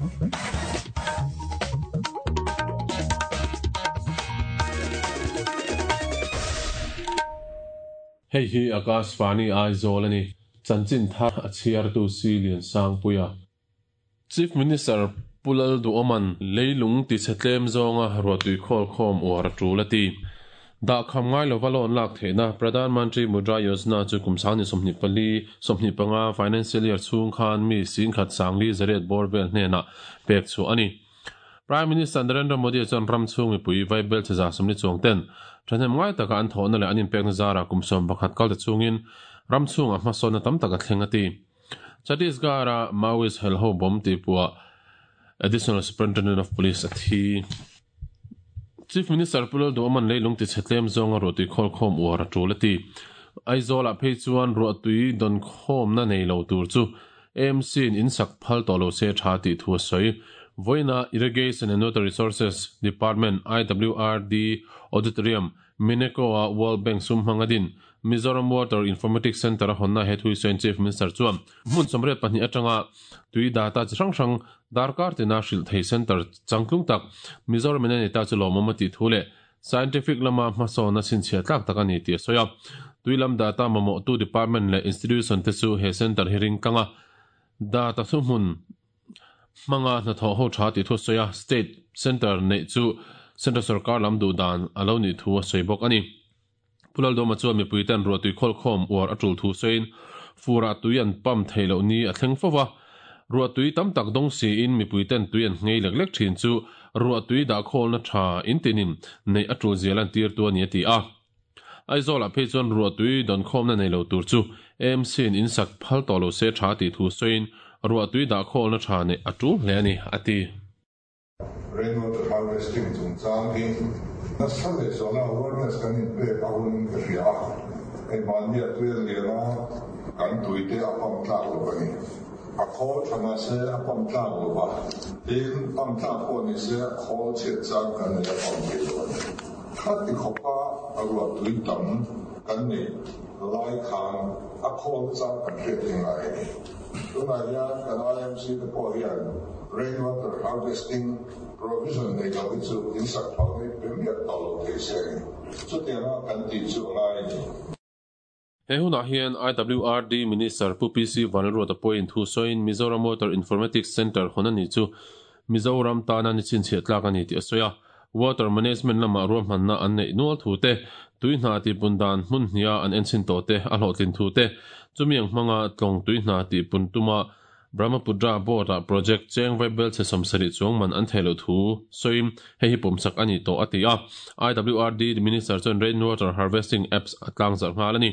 Hei hi Akashvani Aizawl a ni. Chanchin thar a chhiartu Si Liansangpuia. Chief Minister Pu Lalduhawma'n leilung tichhe tlem zawnga ruahtui khawl khawm uar a tul a ti. Dahkham ngai lova loan lak theihna Pradhan Mantri Mudra Yojana chu kum 24, 25 financial year chhung khan mi singkhat sangli zariat bawr vel hnenah pek chhuah a ni. Prime Minister Narendra Modi chuan ram chhung mipui vaibel chhe 140 chuang ten thahnem ngai taka an thawhna leh an inpekna zarah kum 11 kal ta chungin ram chhungah hmasawnna tam tak a thleng a ti. Chhattisgarh-a Maoist helho bomb tihpuah Additional Superintendent of Police a thi. Chief Minister Pu Lalduhawma'n leilung tichhe tlem zawnga ruahtui khawlkhawm uar a tul a ti. Aizawl-ah phei chuan ruahtui dawnkhawmna nei lo tur chu AMC-in in sak phal tawh lo se tha tih thu a sawi. Vawiina Irrigation and Water Resources Department, IWRD, Auditorium, Mineco-a World Bank sum hmanga din Mizoram Water Informatics Centre a hawnna he thui sawiin Chief Minister chuan hmun 82 atanga tui data chi hrang hrang darkar tina hrilh thei centre changtlung tak Mizoram in a nei ta chu lawmawm a tih thu leh scientific lama hmasawnna chhinchhiah tlak tak a ni tih a sawi a. Tui lam data mamawhtu department leh institution te chu he centre hi ring tlang a, data thuhmun hmanga hnathawh ho tha tih thu a sawi a, state centre neih chu central sorkar lam duh dan a lo nih thu a sawi bawk a ni. Pu Laldawma chuan mipuiten ruahtui khawlkhawm uar a tul thu sawiin furah tui an pump theih loh ni a thleng fo va, ruahtui tam tak dawng siin mipuiten tui an nghei lek lek thin chu ruahtui dahkhawlna tha intinin neih a tul zia lantirtu a ni a ti a. Aizawlah phei chuan ruahtui dawnkhawmna nei lo tur chu AMC-in in sak phal tawh lo se tha tih thu sawiin ruahtui dahkhawlna tha neih a tul hle a ni, a ti. Rainwater harvesting chungchang hi nasa leh zuala awareness kan inpek a hunin ka hria a, hei mahnia tui a lian a, kan tuite a pump tlak lo a ni. A khawl tha mahse a pump tlak lo va, tin pump tlak pawh ni se a khawl chhiat chang kan nei a pump thei lo a ni. Khati khawpa a ruahtui tam kan neih lai khan a khawl chang kan hriat hi ngai a ni. Tunah hian kan IMC te pawh hian rainwater harvesting provision nei lo hi chu in sak phal hi pe miah tawh lo thei se a ni. Chutianga kan tih chu a ngai a ni. He hunah hian IWRD Minister Pu PC Vanlalruata pawhin thu sawiin Mizoram Water Informatics Centre hawn a nih chu Mizoram tana ni chhinchhiah tlak a ni tih a sawi a. Water Management lamah ruahmanna an neih nual thu te, tui hna tihpun dan hmun hniha an enchhin tawh te a hlawhtlin thu te, chumi ang hmanga tlawng tui hna tihpun tuma Brahmaputra Board-ah project cheng vaibel chhe 70 chuang man an theih loh thu sawiin hei hi pawmsak a ni tawh a ti a. IWRD Minister chuan Rainwater Harvesting Apps a tlangzarh nghal a ni.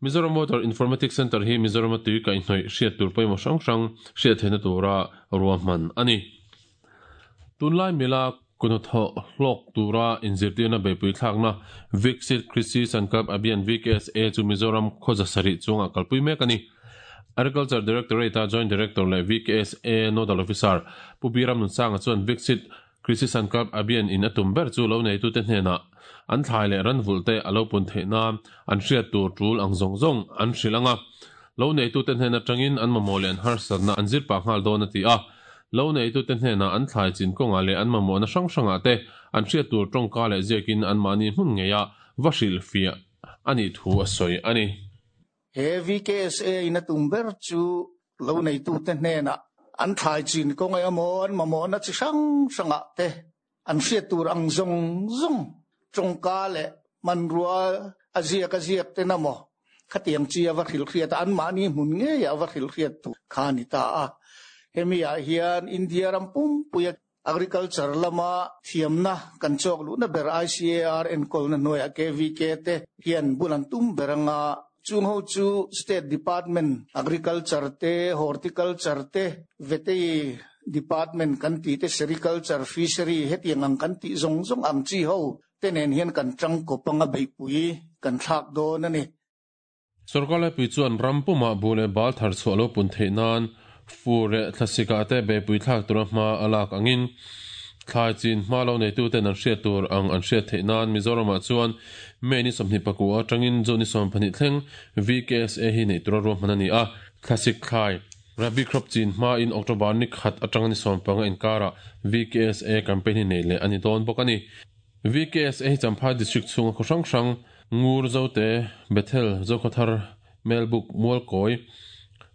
Mizoram Water Informatics Centre hi Mizorama tui kaihhnawih hriat tur pawimawh hrang hrang hriat theihna tura ruahman a ni. Tunlai mila kuhnathawh hlawk tura inzirtirna beihpui thlakna Viksit Krishi Sankalp Abhiyan, VKSA, chu Mizoram khawza sarih chungah kalpui mek a ni. Agriculture Directorate-a Joint Director leh VKSA Nodal Officer Pu Biram Nunsanga chuan Viksit Krishi Sankalp Abhiyan in a tum ber chu lo neitute hnenah an thlai leh ran vulh te a lo pun theih nan an hriat tur tul ang zawng zawng an hrilh ang a, lo neitute hnen atangin an mamawh leh an harsatna an zir pah nghal dawn a ti a. Lo neitute hnenah an thlai chin kawngah leh an mamawhna hrang hrangah te an hriat tur tawngka leh ziakin anmahni hmun ngeiah va hrilhfiah a nih thu a sawi a ni. He VKSA in a tum ber chu lo neitute hnenah an thlai chin kawng emaw an mamawhna chi hrang hrangah te an hriat tur ang zawng zawng tawngka leh hmanrua a ziak a ziak ten emaw khatiang chi a va hrilhhriat a, anmahni hmun ngeiah a va hrilhhriat tur kha a ni ta a. Hemi ah hian India ram pumpuia Agriculture lama thiamna kan chawk luhna ber ICAR enkawlna hnuaiah KVK te hian bul an tum ber anga chung ho chu State Department Agriculture te, Horticulture te, Vetei Department kan tih te, Sericulture, Fishery hetiang ang kan tih zawng zawng ang chi ho te nen hian kan tangkawp anga beihpui kan thlak dawn a ni. Sorkar laipui chuan ram pumah buh leh bal thar chhuah lo pun theih nan fur leh thlasikah te beihpui thlak tura hma a lak angin thlai chin hma lo neituten an hriat tur ang an hriat theih nan Mizoramah chuan May ni 24 atangin June ni 12 thleng VKSA hi neih tura ruahman a ni a, thlasik thlai. Rabi crop chin hmain October ni khat atanga ni 15 inkarah VKSA campaign hi nei leh a ni dawn bawk a ni. VKSA hi Champhai District chhunga khaw hrang hrang, Ngur, Zote, Bethel, Zokhawthar, Melbuk, Mualkawi,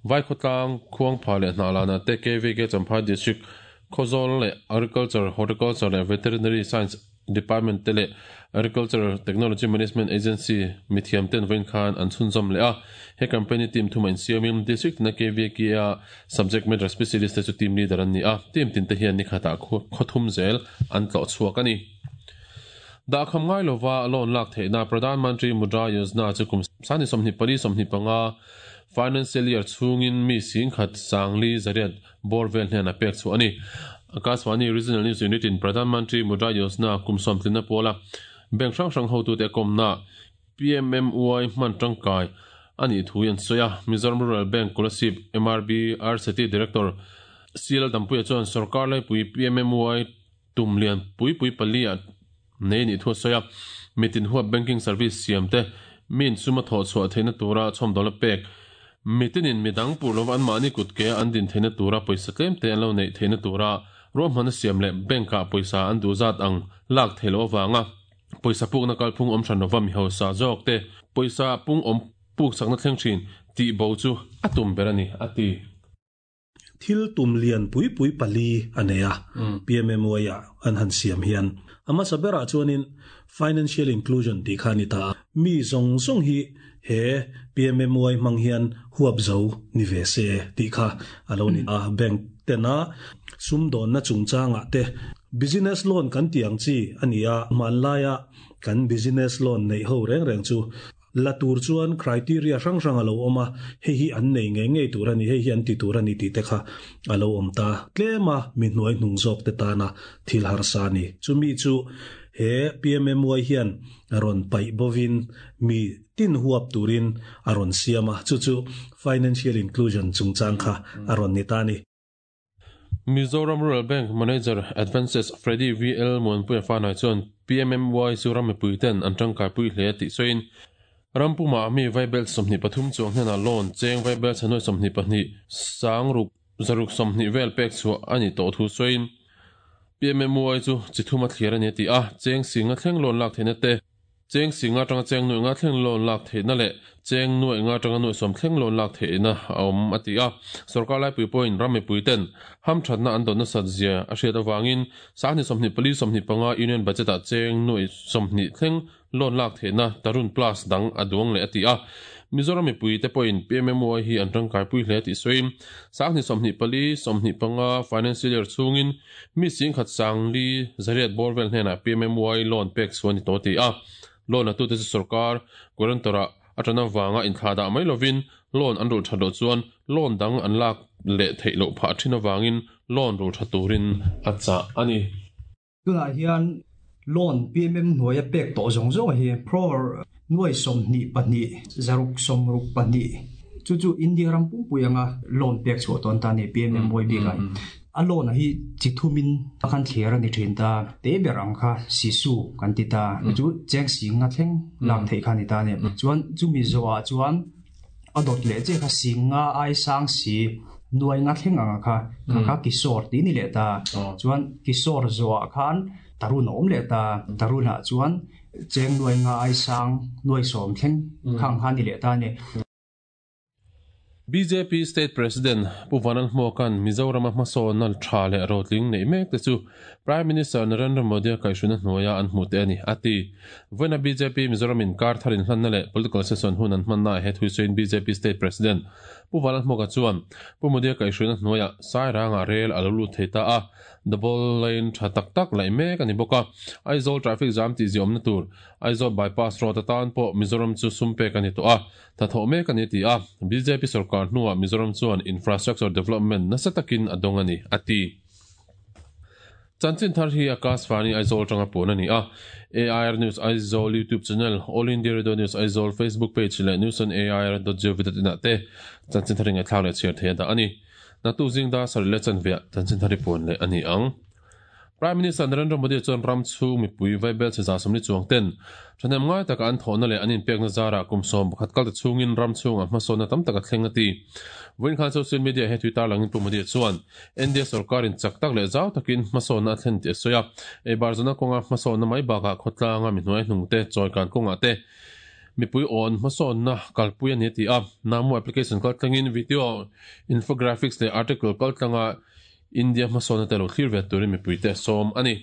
Vaikhawtlang, Khuangpha leh Hnahlanah te KVK Champhai District Khawzawl leh Agriculture, Horticulture leh Veterinary Science Department te leh Agriculture Technology Management Agency mithiam ten vawiin khan an chhunzawm leh a. He campaign hi team thuma insiamin District tina KVK-a Subject Matter Specialist te chu team leader an ni a, team tin te hian nikhatah khaw thum zel an tlawh chhuak a ni. Dahkham ngai lova loan lak theihna Pradhan Mantri Mudra Yojana chu kum sani 24 25 Financial Year chhungin mi singkhat sangli zariat bawr vel hnenah pek chhuah a ni. Akashvani Regional News Unit in Pradhan Mantri Mudra Yojana kum sawmtlinna pawla bank hrang hrang hotute a kawmna PMMY hman tangkai a nih thu hi an sawi a. Mizoram Rural Bank Kolasib MRB RCT Director CL Dampuia chuan sorkar laipui PMMY tum lian pui pui pali ah nei a nih thu a sawi a. Mitin huap banking service siam te, mi insuma thawh chhuah theihna tura chhawmdawlna pek, mitinin midang pur lova anmahni kut ke an din theihna tura pawisa tlem te an lo neih theihna tura ruahmanna siam leh bank ah pawisa an duh zat ang lak theih loh avanga pawisa pukna kalphung awm hran lova mi hausa zawk te pawisa pung awm puk chakna thleng thin tih bo chu a tum ber a ni, a ti. Thil tum lian pui pui pali a nei a, PMMY ah an han siam hian. A hmasa berah chuanin Financial Inclusion tih kha a ni ta a, mi zawng zawng hi he PMMY hmang hian huap zo ni ve se tih kha a lo ni a. Bank tena sumdawnna chungchangah te Business Loan kan tih ang chi a ni a, hmanlaia kan Business Loan neih ho reng reng chu La tur chuan criteria hrang hrang a lo awm a, hei hi an nei ngei ngei tur a ni, hei hi an ti tur a ni tih te kha a lo awm ta. Tlema mi hnuai hnung zawk te tana thil harsa a ni. Chumi chu he PMMY hian rawn paih bovin mi tin huap turin a rawn siam a, chu chu financial inclusion chungchang kha a rawn ni ta a ni. Mizoram Rural Bank Manager Advances Freddy VL Muanpuia Fanai chuan PMMY chu ram mipui ten an tangkaipui hle tih sawiin, ram pumah mi vaibel 23 chuang hnenah loan cheng vaibel chhanuai 22 sang ruk zaruk 20 vel pek chhuah a nih tawh thu sawiin, PMMY chu chi thum a thlir a ni a ti a, cheng singa thleng loan lak theihna te, Cheng singa atanga cheng nuaih nga thleng loan lak theihna leh cheng nuaih nga atanga nuaih sawm thleng loan lak theihna a awm, a ti a. Sorkar laipui pawhin ram mipuiten hamthatna an dawn nasat zia a hriat avangin sahni 24 25 Union Budget-ah cheng nuaih 20 thleng loan lak theihna Tarun Plus dang a duang leh, a ti a. Mizoram mipuite pawhin PMMY hi an tangkaipui hle tih sawiin sahni 24 25 Financial Year chhungin Mi singkhat sangli zariat bawr vel hnenah PMMY loan pek chhuah a ni tawh a ti a. Loan latute chu sorkar guarantor-ah a tan avanga inthlahdah mai lovin loan an rulh that loh chuan loan dang an lak leh theih loh phah thin avangin loan rulh tha turin a chah a ni. Tunah hian loan PMM hnuaia pek tawh zawng zawng hi crore nuai 22 zaruk 62 chu chu India ram pumpui anga loan pek chhuah tawn ta a ni PMMY bikah. A loan hi chi thumin a khan thlir a ni thin ta. Te ber ang kha sisu kan ti ta. Chu cheng sing nga thleng lak theih kha a ni ta a ni. Chuan chumi zawhah chuan a dawt leh chiah kha sing nga ai sang si nuai nga thleng anga kha kha kha kisawr tih a ni leh ta. Chuan kisawr zawhah khan tarun a awm leh ta. Tarunah chuan cheng nuai nga ai sang nuai sawm thleng khang kha a ni leh ta a ni. Bjp State President Pu Vanal Hmuaka'n Mizorama hmasawnna tha leh rotling neih mek te chu Prime Minister Narendra Modi-a kaihhruina hnuaia an hmuh te a ni, a ti. Vawiina bjp Mizoram in kar thar inhlanna leh political session hun an hmannaah he thui sawiin bjp State President Pu Vanal Hmuaka chuan Pu Modi-a kaihhruina hnuaiah Sairangah rel a lo lut thei ta a, double lane tha tak tak laih mek a ni bawk a, Aizawl traffic jam tihziawmna tur Aizawl bypass road atan pawh Mizoram chu sum pek a ni tawh a. Hnathawh mek a ni ti a, bjp sorkar hnuah Mizoram chuan infrastructure development nasa takin a dawng a ni, a ti. Chanchin thar hi Akashvani Aizawl atanga puan a ni a, AIR News Aizawl YouTube channel, All India Radio News Aizawl Facebook page leh newsonair.gov.in ah te chanchin thar ingaihthlak leh chhiar thei a dah a ni. Naktuk zing dar sarih leh chanveah chanchin thar hi puan leh a ni ang. Prime Minister Narendra Modi chuan ram chhung mipui vaibel chhe 140 chuang ten thahnem ngai taka an thawhna leh an inpekna zarah kum 11 kal ta chhungin ram chhungah hmasawnna tam tak a thleng a ti. Vawiin khan social media he tui tarlangin Pu Modi chuan India sorkarin chak tak leh zau takin hmasawnna a thlen tih a sawi a, eibar zawhna kawnga hmasawnna mai bakah khawtlanga mi hnuai hnungte chawikan kawngah te mipui awn hmasawnna kalpui a ni a ti a. Namo application kaltlangin video, infographics leh article kaltlanga India hmasawnna te lo thlir ve turin mipuite a sawm a ni.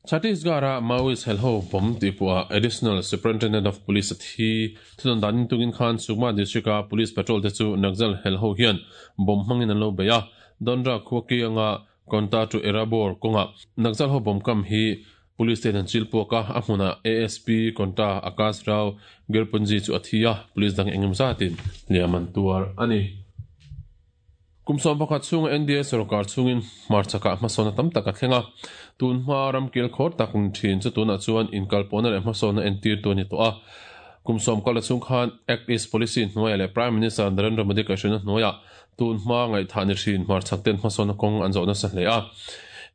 Chhattisgarh-a Maoist helho bomb tihpuah Additional Superintendent of Police a thi. Thunawn danin tungin khan Sukma District-a Police patrol te chu Naxal helho hian bomb hmangin an lo bei a. Dondra khua kianga Konta to Erabor kawngah Naxal ho bomb kam hi Police ten an chil puak a, a hmunah ASP Konta Akash Rao Gerpunji chu a thi a, Police dang engemaw zatin hliam an tuar a ni. Kum 11 chhunga NDA sorkar chhungin hmarchakah hmasawnna tam tak a thleng a, tun hma ramkil khawr tak ni thin chu tunah chuan inkalpawhna leh hmasawnna entirtu a ni tawh a. Kum sawm kal a chhung khan Act East Policy hnuaiah leh Prime Minister Narendra Modi kaihhruaina hnuaiah tun hma ngaihthah ni thin hmarchhak ten hmasawnna kawng an zawh nasa hle a.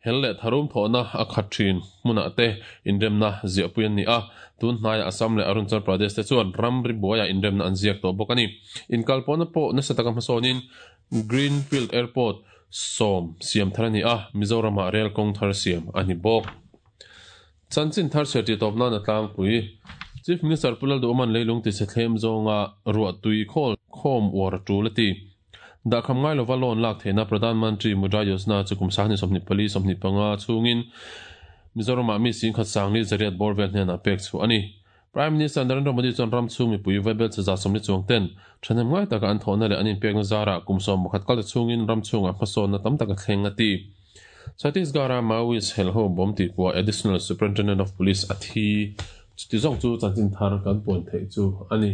Hel leh tharum thawhna a khat thin hmunah te inremna ziahpui an ni a, tun hnaiah Assam leh Arunachal Pradesh te chuan ramri buaiah inremna an ziak tawh bawk a ni. Inkalpawhna pawh nasa taka hmasawnin Greenfield Airport sawm siam thar a ni a, Mizoramah rel kawng thar siam a ni bawk. Chanchin thar chhiar tih tawp nan a tlangpui. Chief Minister Pu Lalduhawman leilung tichhe thlem zawnga ruah tui khawl khawm uar a tul a ti. Dahkham ngai lova loan lak theihna Pradhan Mantri Mudra Yojana chu kum 2024, 25 chhungin Mizoramah mi singkhat sangli zariat bawr vel hnenah pek chhuah a ni. Prime Minister Narendra Modi chuan ram chhung mipui vaibel che 140 chuang ten thahnem ngai taka an thawhna leh an inpekna zarah kum 11 kal ta chhungin ram chhungah hmasawnna tam tak a thleng a ti. Chhattisgarh-a Maoist helho bomb tihpuah Additional Superintendent of Police a thi. Chuti zawng chu chanchin thar kan puan theih chu a ni.